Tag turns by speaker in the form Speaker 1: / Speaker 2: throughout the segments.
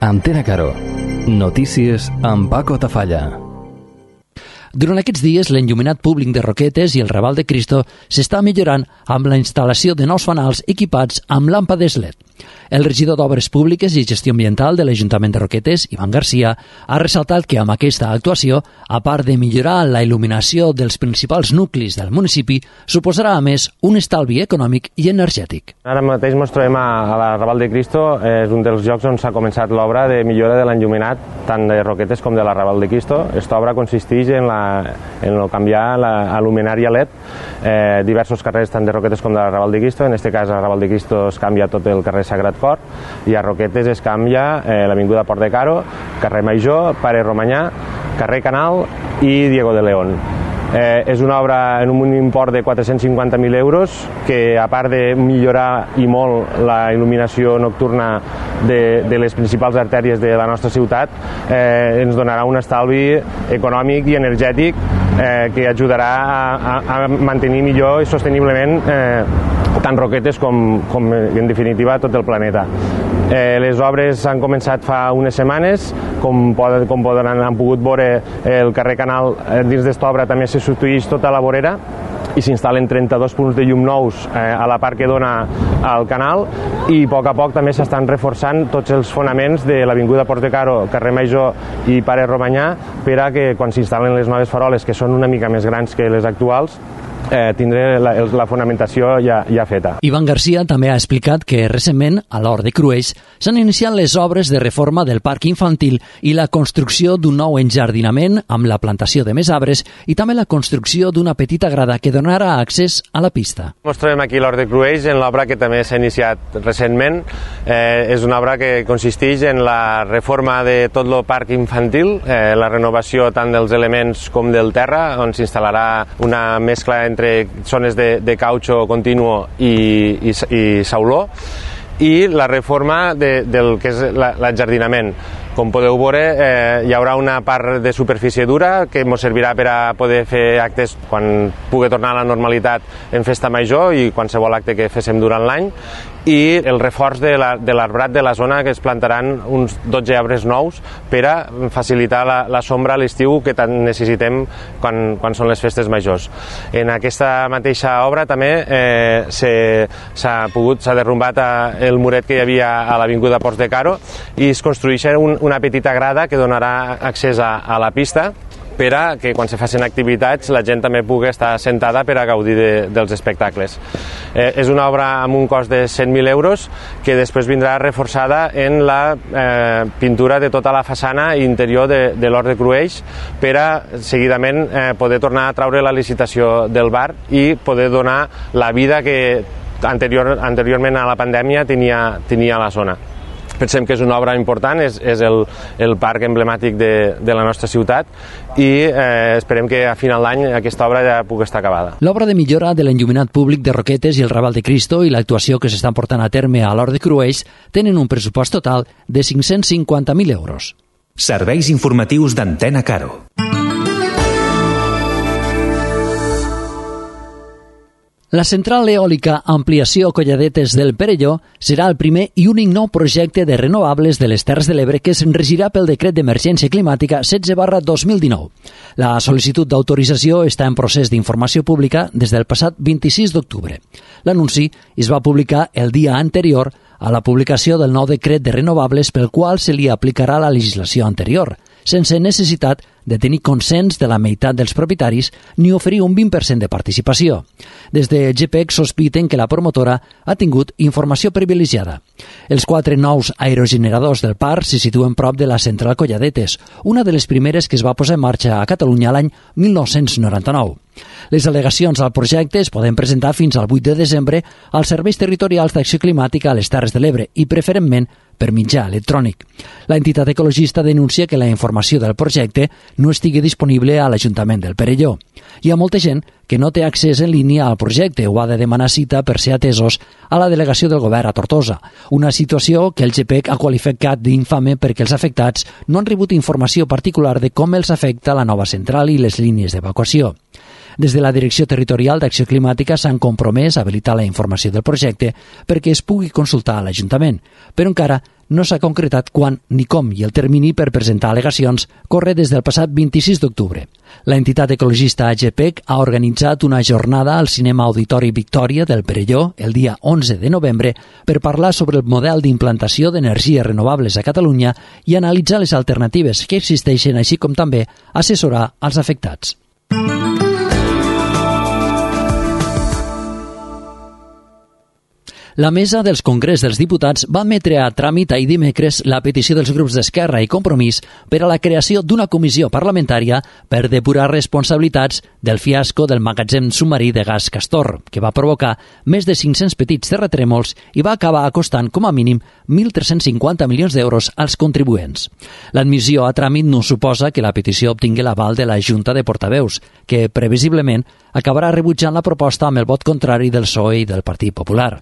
Speaker 1: Antena Caro. Notícies amb Paco Tafalla.
Speaker 2: Durant aquests dies, l'enllumenat públic de Roquetes i el Raval de Cristo s'està millorant amb la instal·lació de nous fanals equipats amb làmpades LED. El regidor d'Obres Públiques i Gestió Ambiental de l'Ajuntament de Roquetes, Ivan Garcia, ha ressaltat que amb aquesta actuació, a part de millorar la il·luminació dels principals nuclis del municipi, suposarà a més un estalvi econòmic i energètic.
Speaker 3: Ara mateix ens trobem a la Raval de Cristo, és un dels llocs on s'ha començat l'obra de millora de l'enllumenat, tant de Roquetes com de la Raval de Cristo. Aquesta obra consisteix en canviar la luminària LED, diversos carrers tant de Roquetes com de la Raval de Cristo. En aquest cas, a la Raval de Cristo es canvia tot el carrer Sagrat Cor i a Roquetes es canvia l'avinguda Port de Caro, carrer Major, Pare Romanyà, carrer Canal i Diego de León. És una obra en un import de 450.000 euros que, a part de millorar i molt la il·luminació nocturna de les principals artèries de la nostra ciutat, ens donarà un estalvi econòmic i energètic que ajudarà a mantenir millor i sosteniblement tant Roquetes com en definitiva tot el planeta. Les obres han començat fa unes setmanes, com han pogut veure el carrer Canal dins d'esta obra també se substitueix tota la vorera i s'instal·len 32 punts de llum nous a la part que dona al canal i a poc també s'estan reforçant tots els fonaments de l'avinguda Port de Caro, carrer Major i Pare Romanyà per a que quan s'instal·len les noves faroles, que són una mica més grans que les actuals, tindré la fonamentació ja feta.
Speaker 2: Ivan Garcia també ha explicat que recentment, a l'Hort de Crueix, s'han iniciat les obres de reforma del parc infantil i la construcció d'un nou enjardinament amb la plantació de més arbres i també la construcció d'una petita grada que donarà accés a la pista.
Speaker 3: Ens trobem aquí a l'Hort de Crueix en l'obra que també s'ha iniciat recentment. És una obra que consisteix en la reforma de tot el parc infantil, la renovació tant dels elements com del terra, on s'instal·larà una mescla entre zones de cautxo continuo i sauló, i la reforma del que és l'enjardinament. Com podeu veure, hi haurà una part de superfície dura que ens servirà per a poder fer actes quan pugui tornar a la normalitat en festa major i qualsevol acte que féssim durant l'any, i el reforç de l'arbrat de la zona, que es plantaran uns 12 arbres nous per a facilitar la sombra a l'estiu que tant necessitem quan són les festes majors. En aquesta mateixa obra també s'ha derrumbat el muret que hi havia a l'avinguda Port de Caro i es construeix una petita grada que donarà accés a la pista per a que quan se facin activitats la gent també pugui estar sentada per a gaudir dels espectacles. És una obra amb un cost de 100.000 euros que després vindrà reforçada en la pintura de tota la façana interior de l'Hort de Crueix per a seguidament poder tornar a traure la licitació del bar i poder donar la vida que anteriorment a la pandèmia tenia a la zona. Pensem que és una obra important, és el parc emblemàtic de la nostra ciutat i esperem que a final d'any aquesta obra ja pugui estar acabada.
Speaker 2: L'obra de millora de l'enllumenat públic de Roquetes i el Raval de Cristo i l'actuació que s'estan portant a terme a l'Hort de Crueix tenen un pressupost total de 550.000 euros.
Speaker 4: Serveis informatius d'Antena Caro.
Speaker 2: La central eòlica Ampliació Colladetes del Perelló serà el primer i únic nou projecte de renovables de les Terres de l'Ebre que es regirà pel decret d'emergència climàtica 16/2019. La sol·licitud d'autorització està en procés d'informació pública des del passat 26 d'octubre. L'anunci es va publicar el dia anterior a la publicació del nou decret de renovables pel qual se li aplicarà la legislació anterior, sense necessitat de tenir consens de la meitat dels propietaris ni oferir un 20% de participació. Des de GPEC sospiten que la promotora ha tingut informació privilegiada. Els 4 nous aerogeneradors del parc se situen prop de la central Colladetes, una de les primeres que es va posar en marxa a Catalunya l'any 1999. Les al·legacions al projecte es poden presentar fins al 8 de desembre als serveis territorials d'acció climàtica a les Terres de l'Ebre i, preferentment, per mitjà electrònic. La entitat ecologista denuncia que la informació del projecte no estigui disponible a l'Ajuntament del Perelló. Hi ha molta gent que no té accés en línia al projecte o ha de demanar cita per ser atesos a la delegació del govern a Tortosa, una situació que el GPEC ha qualificat d'infame perquè els afectats no han rebut informació particular de com els afecta la nova central i les línies d'evacuació. Des de la Direcció Territorial d'Acció Climàtica s'han compromès a habilitar la informació del projecte perquè es pugui consultar a l'Ajuntament, però encara no s'ha concretat quan ni com i el termini per presentar al·legacions corre des del passat 26 d'octubre. L'entitat ecologista AGPEC ha organitzat una jornada al Cinema Auditori Victòria del Perelló el dia 11 de novembre per parlar sobre el model d'implantació d'energies renovables a Catalunya i analitzar les alternatives que existeixen, així com també assessorar als afectats. La Mesa dels Congrés dels Diputats va admetre a tràmit ahir dimecres la petició dels grups d'Esquerra i Compromís per a la creació d'una comissió parlamentària per depurar responsabilitats del fiasco del magatzem submarí de gas Castor, que va provocar més de 500 petits terratrèmols i va acabar costant com a mínim 1.350 milions d'euros als contribuents. L'admissió a tràmit no suposa que la petició obtingui l'aval de la Junta de Portaveus, que previsiblement acabarà rebutjant la proposta amb el vot contrari del PSOE i del Partit Popular.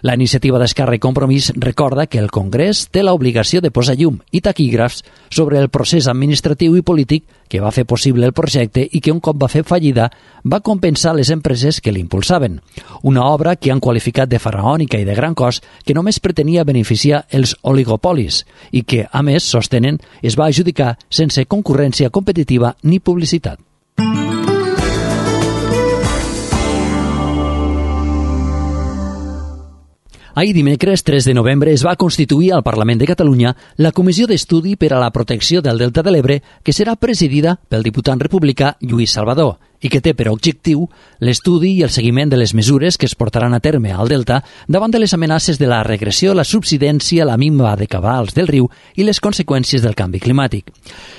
Speaker 2: La iniciativa d'Esquerra i Compromís recorda que el Congrés té l'obligació de posar llum i taquígrafs sobre el procés administratiu i polític que va fer possible el projecte i que un cop va fer fallida va compensar les empreses que l'impulsaven. Una obra que han qualificat de faraònica i de gran cost que només pretenia beneficiar els oligopolis i que, a més, sostenen, es va adjudicar sense concurrència competitiva ni publicitat. Ahir dimecres 3 de novembre es va constituir al Parlament de Catalunya la Comissió d'Estudi per a la Protecció del Delta de l'Ebre, que serà presidida pel diputat republicà Lluís Salvador i que té per objectiu l'estudi i el seguiment de les mesures que es portaran a terme al Delta davant de les amenaces de la regressió, la subsidència, la minva de cabals del riu i les conseqüències del canvi climàtic.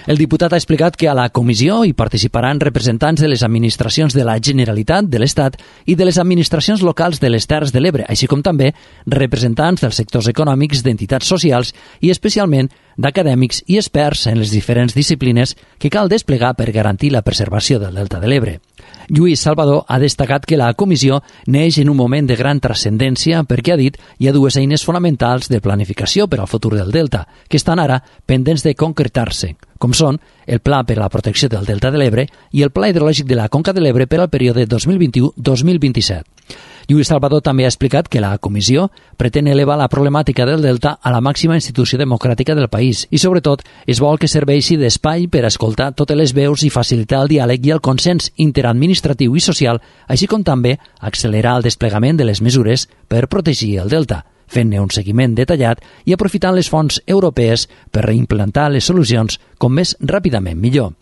Speaker 2: El diputat ha explicat que a la comissió hi participaran representants de les administracions de la Generalitat, de l'Estat i de les administracions locals de les Terres de l'Ebre, així com també representants dels sectors econòmics, d'entitats socials i especialment d'acadèmics i experts en les diferents disciplines que cal desplegar per garantir la preservació del Delta de l'Ebre. Lluís Salvador ha destacat que la comissió neix en un moment de gran transcendència perquè, ha dit, hi ha dues eines fonamentals de planificació per al futur del Delta, que estan ara pendents de concretar-se, com són el Pla per a la Protecció del Delta de l'Ebre i el Pla Hidrològic de la Conca de l'Ebre per al període 2021-2027. Lluís Salvador també ha explicat que la comissió pretén elevar la problemàtica del Delta a la màxima institució democràtica del país i, sobretot, es vol que serveixi d'espai per a escoltar totes les veus i facilitar el diàleg i el consens interadministratiu i social, així com també accelerar el desplegament de les mesures per protegir el Delta, fent-ne un seguiment detallat i aprofitant les fonts europees per reimplantar les solucions com més ràpidament millor.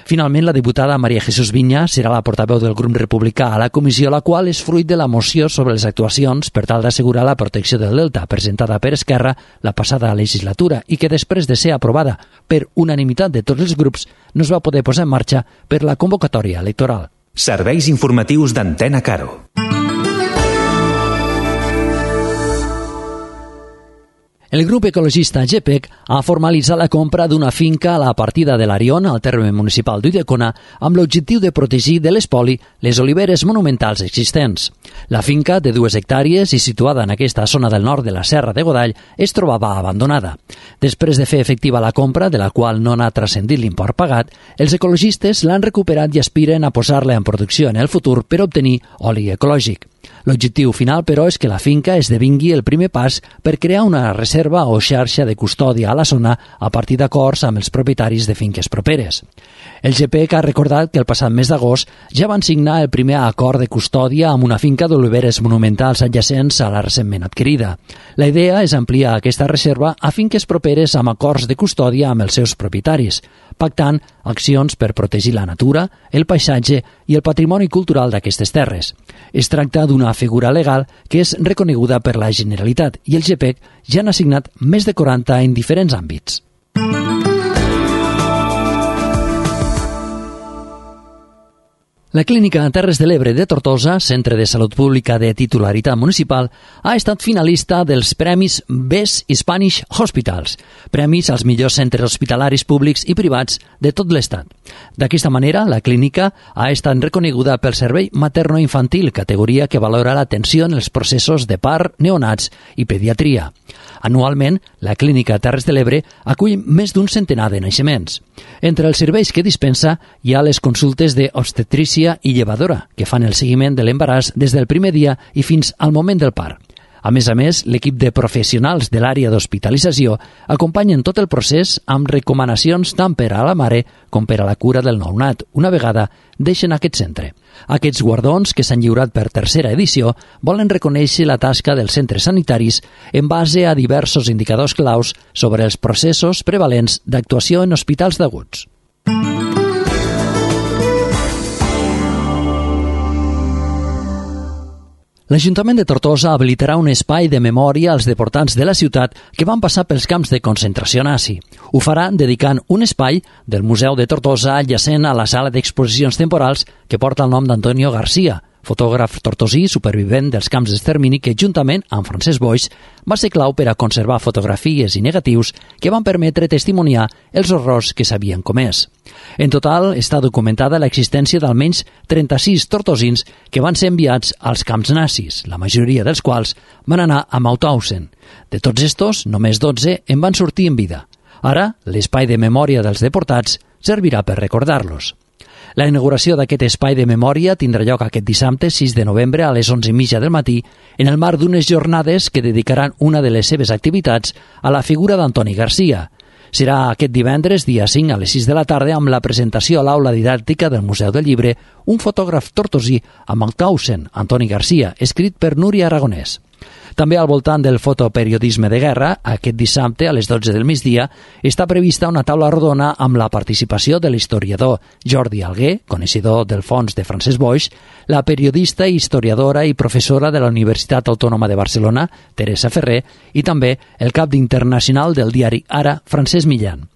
Speaker 2: Finalment, la diputada Maria Jesús Viña serà la portaveu del grup republicà a la comissió, la qual és fruit de la moció sobre les actuacions per tal d'assegurar la protecció del Delta, presentada per Esquerra la passada legislatura i que després de ser aprovada per unanimitat de tots els grups no es va poder posar en marxa per la convocatòria electoral.
Speaker 4: Serveis informatius d'Antena Caro.
Speaker 2: El grup ecologista GPEC ha formalitzat la compra d'una finca a la partida de l'Arion, al terme municipal d'Ulldecona, amb l'objectiu de protegir de l'espoli les oliveres monumentals existents. La finca, de 2 hectàrees i situada en aquesta zona del nord de la Serra de Godall, es trobava abandonada. Després de fer efectiva la compra, de la qual no n'ha transcendit l'import pagat, els ecologistes l'han recuperat i aspiren a posar-la en producció en el futur per obtenir oli ecològic. L'objectiu final, però, és que la finca esdevingui el primer pas per crear una reserva o xarxa de custòdia a la zona a partir d'acords amb els propietaris de finques properes. El GPEC ha recordat que el passat mes d'agost ja van signar el primer acord de custòdia amb una finca d'oliveres monumentals adjacents a la recentment adquirida. La idea és ampliar aquesta reserva a finques properes amb acords de custòdia amb els seus propietaris, pactant accions per protegir la natura, el paisatge i el patrimoni cultural d'aquestes terres. Es tracta d'una figura legal que és reconeguda per la Generalitat i el GPEC ja n'ha signat més de 40 en diferents àmbits. La Clínica Terres de l'Ebre de Tortosa, centre de salut pública de titularitat municipal, ha estat finalista dels Premis Best Spanish Hospitals, premis als millors centres hospitalaris públics i privats de tot l'Estat. D'aquesta manera, la clínica ha estat reconeguda pel Servei Materno-Infantil, categoria que valora l'atenció en els processos de part, neonats i pediatria. Anualment, la Clínica Terres de l'Ebre acull més d'un centenar de naixements. Entre els serveis que dispensa hi ha les consultes d'obstetrícia ginèsia i llevadora, que fan el seguiment de l'embaràs des del primer dia i fins al moment del part. A més, l'equip de professionals de l'àrea d'hospitalització acompanyen tot el procés amb recomanacions tant per a la mare com per a la cura del nounat, una vegada deixen aquest centre. Aquests guardons, que s'han lliurat per tercera edició, volen reconèixer la tasca dels centres sanitaris en base a diversos indicadors claus sobre els processos prevalents d'actuació en hospitals d'aguts. L'Ajuntament de Tortosa habilitarà un espai de memòria als deportats de la ciutat que van passar pels camps de concentració nazi. Ho farà dedicant un espai del Museu de Tortosa adjacent a la sala d'exposicions temporals que porta el nom d'Antonio Garcia, fotògraf tortosí supervivent dels camps d'extermini que, juntament amb Francesc Boix, va ser clau per a conservar fotografies i negatius que van permetre testimoniar els horrors que s'havien comès. En total, està documentada l'existència d'almenys 36 tortosins que van ser enviats als camps nazis, la majoria dels quals van anar a Mauthausen. De tots estos, només 12 en van sortir en vida. Ara, l'espai de memòria dels deportats servirà per recordar-los. La inauguració d'aquest espai de memòria tindrà lloc aquest dissabte 6 de novembre a les 11:30 del matí en el marc d'unes jornades que dedicaran una de les seves activitats a la figura d'Antoni Garcia. Serà aquest divendres, dia 5, a les 6 de la tarda, amb la presentació a l'aula didàctica del Museu del Llibre, un fotògraf tortosí a Mauthausen, Antoni Garcia, escrit per Núria Aragonès. També al voltant del fotoperiodisme de guerra, aquest dissabte a les 12 del migdia, està prevista una taula rodona amb la participació de l'historiador Jordi Alguer, coneixedor del fons de Francesc Boix, la periodista, historiadora i professora de la Universitat Autònoma de Barcelona, Teresa Ferrer, i també el cap internacional del diari Ara, Francesc Millan.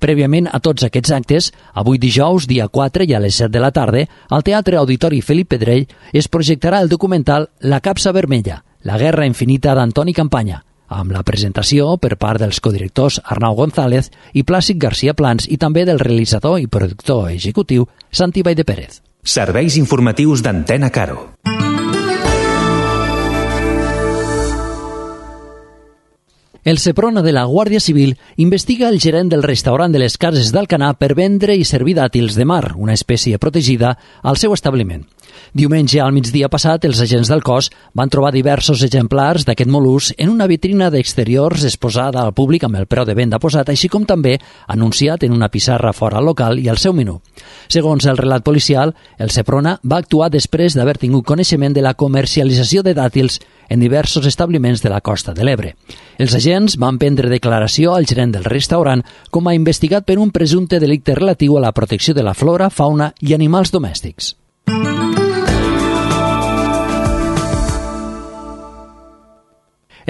Speaker 2: Prèviament a tots aquests actes, avui dijous, dia 4 i a les 7 de la tarda, al Teatre Auditori Felip Pedrell es projectarà el documental La capsa vermella, la guerra infinita d'Antoni Campanya, amb la presentació per part dels codirectors Arnau González i Plàcid García Plans i també del realitzador i productor executiu Santi Valldeperes.
Speaker 4: Serveis informatius d'Antena Caro.
Speaker 2: El Seprona de la Guàrdia Civil investiga el gerent del restaurant de les Cases d'Alcanar per vendre i servir dàtils de mar, una espècie protegida, al seu establiment. Diumenge al migdia passat, els agents del cos van trobar diversos exemplars d'aquest mol·lusc en una vitrina d'exteriors exposada al públic amb el preu de venda posat, així com també anunciat en una pissarra fora al local i al seu menú. Segons el relat policial, el Seprona va actuar després d'haver tingut coneixement de la comercialització de dàtils en diversos establiments de la costa de l'Ebre. Els agents van prendre declaració al gerent del restaurant com a investigat per un presumpte delicte relatiu a la protecció de la flora, fauna i animals domèstics.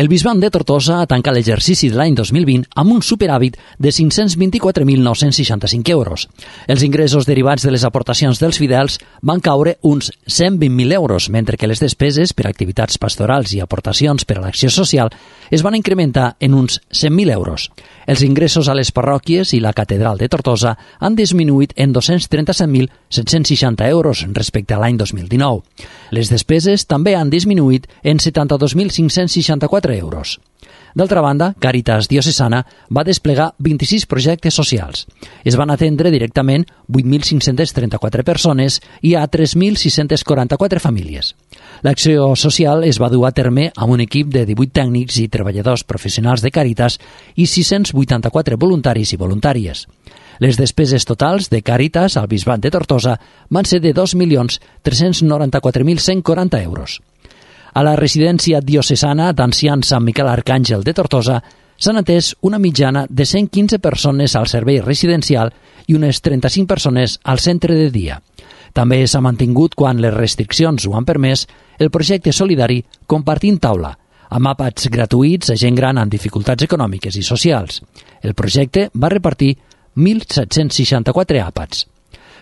Speaker 2: El Bisbat de Tortosa ha tancat l'exercici de l'any 2020 amb un superàvit de 524.965 euros. Els ingressos derivats de les aportacions dels fidels van caure uns 120.000 euros, mentre que les despeses per activitats pastorals i aportacions per a l'acció social es van incrementar en uns 100.000 euros. Els ingressos a les parròquies i la catedral de Tortosa han disminuït en 237.760 euros respecte a l'any 2019. Les despeses també han disminuït en 72.564 euros. D'altra banda, Càritas Diocesana va desplegar 26 projectes socials. Es van atendre directament 8.534 persones i a 3.644 famílies. L'acció social es va dur a terme amb un equip de 18 tècnics i treballadors professionals de Càritas i 684 voluntaris i voluntàries. Les despeses totals de Càritas al Bisbat de Tortosa van ser de 2.394.140 euros. A la residència diocesana d'ancians Sant Miquel Arcàngel de Tortosa s'han atès una mitjana de 115 persones al servei residencial i unes 35 persones al centre de dia. També s'ha mantingut, quan les restriccions ho han permès, el projecte solidari Compartint Taula, amb àpats gratuïts a gent gran amb dificultats econòmiques i socials. El projecte va repartir 1.764 àpats.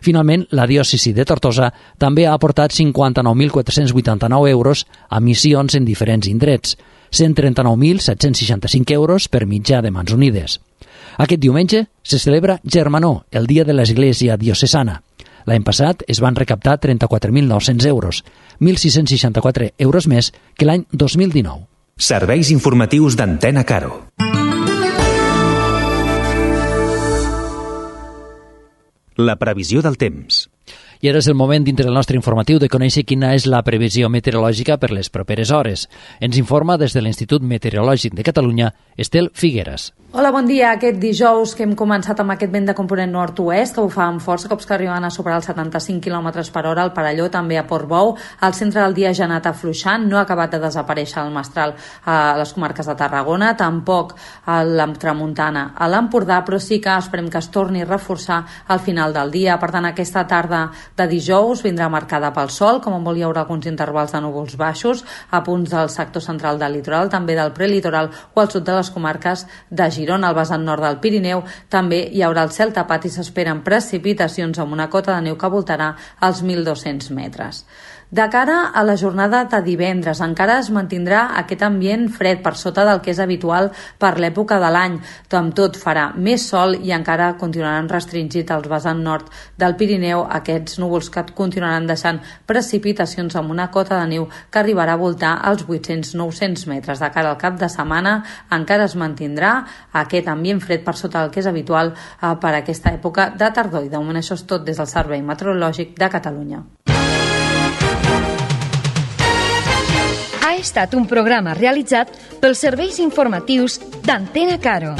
Speaker 2: Finalment, la diòcesi de Tortosa també ha aportat 59.489 euros a missions en diferents indrets, 139.765 euros per mitjà de Mans Unides. Aquest diumenge se celebra Germanor, el dia de l'Església Diocesana. L'any passat es van recaptar 34.900 euros, 1.664 euros més que l'any 2019.
Speaker 4: Serveis informatius d'Antena Caro. La previsió del temps.
Speaker 2: I ara és el moment, dintre del nostre informatiu, de conèixer quina és la previsió meteorològica per les properes hores. Ens informa des de l'Institut Meteorològic de Catalunya, Estel Figueras.
Speaker 5: Hola, bon dia. Aquest dijous que hem començat amb aquest vent de component nord-oest que bufa amb força, cops que arriben a superar els 75 km per hora al Perelló, també a Portbou. Al centre del dia ja ha anat afluixant, no ha acabat de desaparèixer el mestral a les comarques de Tarragona, tampoc a la tramuntana a l'Empordà, però sí que esperem que es torni a reforçar al final del dia. Per tant, aquesta tarda de dijous vindrà marcada pel sol, com molt hi haurà alguns intervals de núvols baixos a punts del sector central del litoral, també del prelitoral o al sud de les comarques de Girona, al vessant nord del Pirineu. També hi haurà el cel tapat i s'esperen precipitacions amb una cota de neu que voltarà als 1.200 metres. De cara a la jornada de divendres, encara es mantindrà aquest ambient fred per sota del que és habitual per l'època de l'any. Amb tot farà més sol i encara continuaran restringit al vessant nord del Pirineu aquests núvols que continuaran deixant precipitacions amb una cota de neu que arribarà a voltar als 800-900 metres. De cara al cap de setmana encara es mantindrà aquest ambient fred per sota del que és habitual per aquesta època de tardor. I de moment això és tot des del Servei Meteorològic de Catalunya.
Speaker 6: Ha estat un programa realitzat pels serveis informatius d'Antena Caro.